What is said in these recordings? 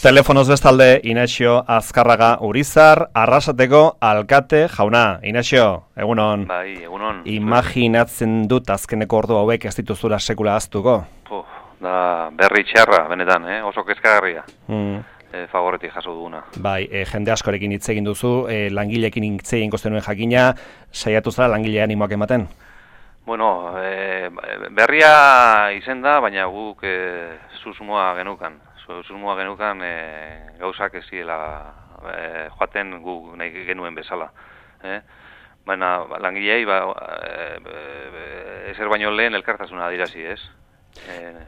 Telefonoz bestalde, Inaxio Azkarraga Urizar, Arrasateko alkate jauna. Inaxio, egunon. Bai, egunon. Imaginatzen dut azkeneko ordu hauek ez dituzula sekula aztuko. Da berri txarra, benetan, oso kezkagarria. Fagoretik jaso duguna. Bai, jende askorekin hitz egin duzu, langileekin hitz egin zenuen jakina, saiatu zara langile animoak ematen? Bueno, berria izen da, baina guk susmoa genukan. Susmoa genukan gauzak ez ziela joaten guk nahi genuen bezala. Baina langilei ezer baino lehen elkartasuna adirazi, ez?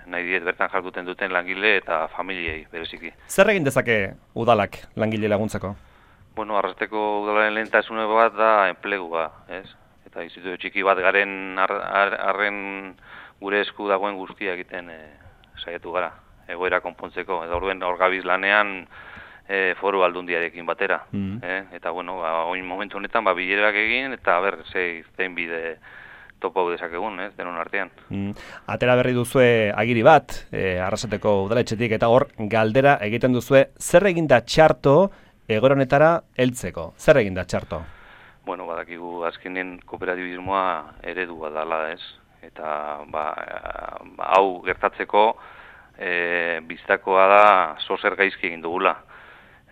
Nahi diet bertan jarduten duten langile eta familiei bereziki. Zer egin dezake udalak langile laguntzeko? Bueno, Arrasateko udalaren lehentasune bat da enplegua, ez? Eta instituzio txiki bat garen arren gure esku dagoen guztia egiten saiatu gara, egoera konpontzeko. Eta orduen hor gabiz lanean foru aldundiarekin batera. Eta bueno, oin momentu honetan bilerak egin eta zein bide topo dezakegun, denon artean. Atera berri duzue agiri bat, Arrasateko udaletxetik, eta hor galdera egiten duzue, zer eginda txarto egoronetara heltzeko? Zer eginda txarto? Bueno, badakigu azkenen kooperatibismoa eredu bat dala, ez? Eta hau gertatzeko biztakoa da zozer gaizki egin dugula.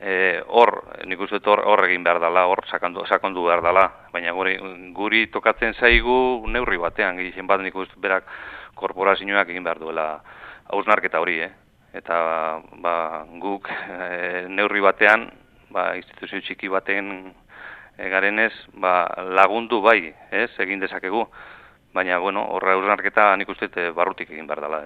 Nik uste dut hor egin behar dela, hor sakondu behar dela, baina guri tokatzen zaigu neurri batean, gehien bat nik uste berak korporazioak egin behar duela hausnarketa hori, eta guk neurri batean, instituzio txiki baten garenez, lagundu bai, egin dezakegu, baina, bueno, horra hausnarketa nik uste barrutik egin behar dela,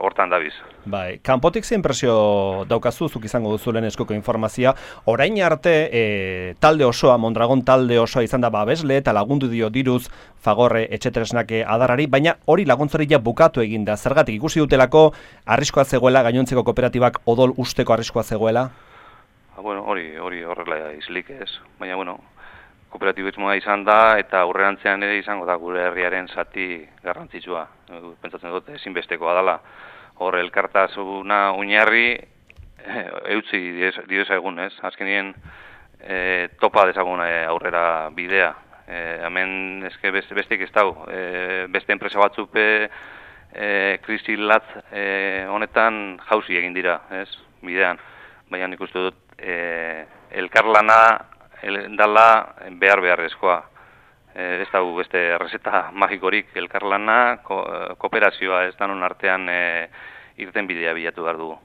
hortan dabiz. Bai, kanpotik zein presio daukazu, zuk izango duzu lehen eskoko informazioa, orain arte talde osoa, Mondragon talde osoa izan da babesle eta lagundu dio diruz Fagorre etxetresnak adarrari, baina hori laguntzari ja bukatu egin da. Zergatik ikusi dutelako arriskoa zegoela, gainontzeko kooperatibak odol usteko arriskoa zegoela? Bueno, hori horrela izlik ez, baina, bueno, kooperatibismoa izan da eta aurrerantzean ere izango da gure herriaren zati garrantzitsua. Pentsatzen dut ezinbestekoa dela. Hor elkartasuna oinarri eutzi diozagun, ez? Azkenien topa dezagun aurrera bidea. Hemen eske bestek ez dago. Beste enpresa batzupe krisi latz honetan jauzi egin dira, ez? Bidean. Baina nik uste dut elkarlana dala beharrezkoa. Ez dago beste errezeta magikorik, elkarlana, kooperazioa ez danon artean irten bidea bilatu behar dugu.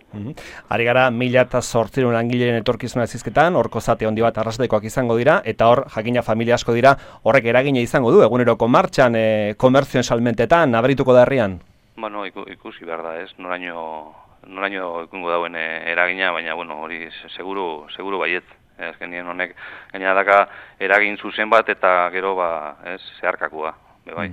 Ari gara 1008 langileen etorkizuna zizketan, horko zate handi bat Arrasatekoak izango dira, eta hor jakina familia asko dira, horrek eragina izango du, eguneroko martxan, komerzioen salmentetan, nabarituko da herrian? Bueno, ikusi behar da, ez, noraino ikungo dauen eragina, baina, bueno, hori seguru baiet. Azkenien honek gaina daka eragin zuzen bat eta gero zeharkakua, bai.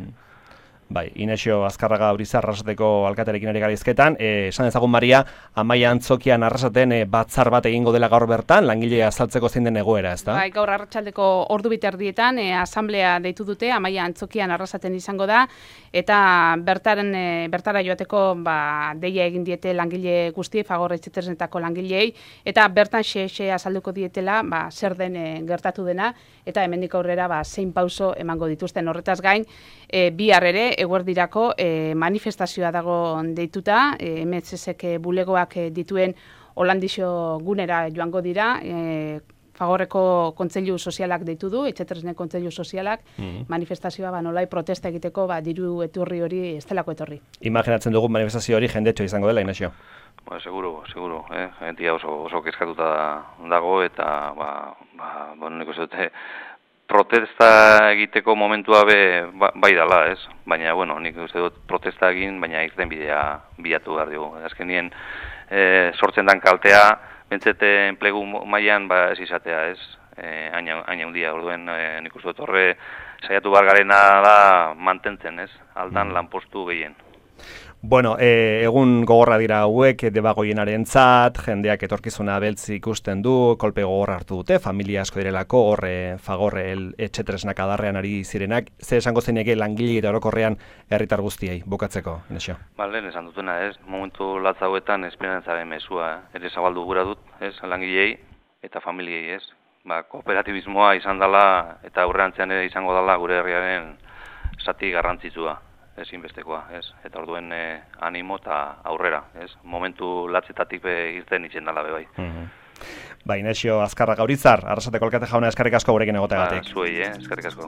Bai, Inaxio Azkarraga Urizar Arrasateko alkaterekin ari gara hizketan, esan dezagun Maria, Amaia Antzokian Arrasaten batzar bat egingo dela gaur bertan, langilea azaltzeko zein den egoera, ezta? Bai, gaur arratsaldeko ordu biterdietan asamblea deitu dute, Amaia Antzokian Arrasaten izango da, eta bertara joateko deia egin diete langile guztiei, Fagor etxetresnetako langilei, eta bertan xe azalduko dietela zer den gertatu dena, eta hemendik aurrera zein pauso emango dituzten. Horretaz gain, bihar ere eguerdirako manifestazioa dago deituta, MSSek bulegoak dituen Holandixo gunera joango dira, Fagorreko kontseilu sozialak deitu du, etxetresnen kontseilu sozialak, manifestazioa nolai protesta egiteko diru etorri hori ez delako etorri. Imaginatzen dugu manifestazio hori jendetxo izango dela, Inaxio? Seguro, jentia oso kezkatuta dago eta nik uste dute protesta egiteko momentua bai dela, ez? Baina, bueno, nik uste dut protesta egin, baina irten bidea bilatu behar dugu. Azkenien sortzen dan kaltea, bentsete enplegu mailan ez izatea, ez? Aina handia, orduen nik uste dut horre saiatu behar garena da mantentzen, ez? Aldan lanpostu gehien. Bueno, egun gogorra dira hauek debagoienarentzat, jendeak etorkizuna beltz ikusten du, kolpe gogorra hartu dute, familia asko direlako, Fagorre etxetresnak adarrean ari zirenak, ze esango zeineke langile eta orokorrean herritar guztiei, bukatzeko, Inesio? Lehen esan dutena, momentu latza hauetan esperantzaren mezua, ere zabaldu gura dut, langilei eta familiei, kooperatibismoa izan dela eta aurrerantzean ere izango dela gure herriaren zati garrantzitsua. Ezinbestekoa, eta orduen animo eta aurrera, momentu latzetatik irten itzen dela bai. Inesio Azkarra Gaurizar, Arrasateko alkate jauna eskerrik asko gurekin egoteagatik. Zuei, eskerrik asko.